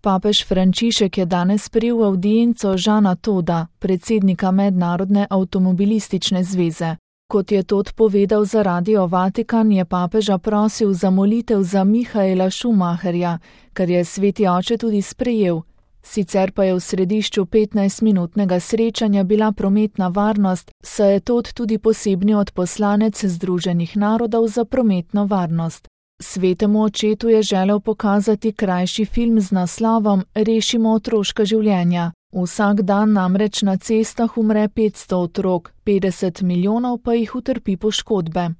Papež Frančišek je danes sprejel avdienco Žana Toda, predsednika Mednarodne avtomobilistične zveze. Kot je Tod povedal za Radio Vatikan, je papeža prosil za molitev za Michaela Schumacherja, kar je sveti oče tudi sprejel. Sicer pa je v središču 15-minutnega srečanja bila prometna varnost, saj je Tod tudi posebni odposlanec Združenih narodov za prometno varnost. Svetemu očetu je želel pokazati krajši film z naslovom Rešimo otroška življenja. Vsak dan namreč na cestah umre 500 otrok, 50 milijonov pa jih utrpi poškodbe.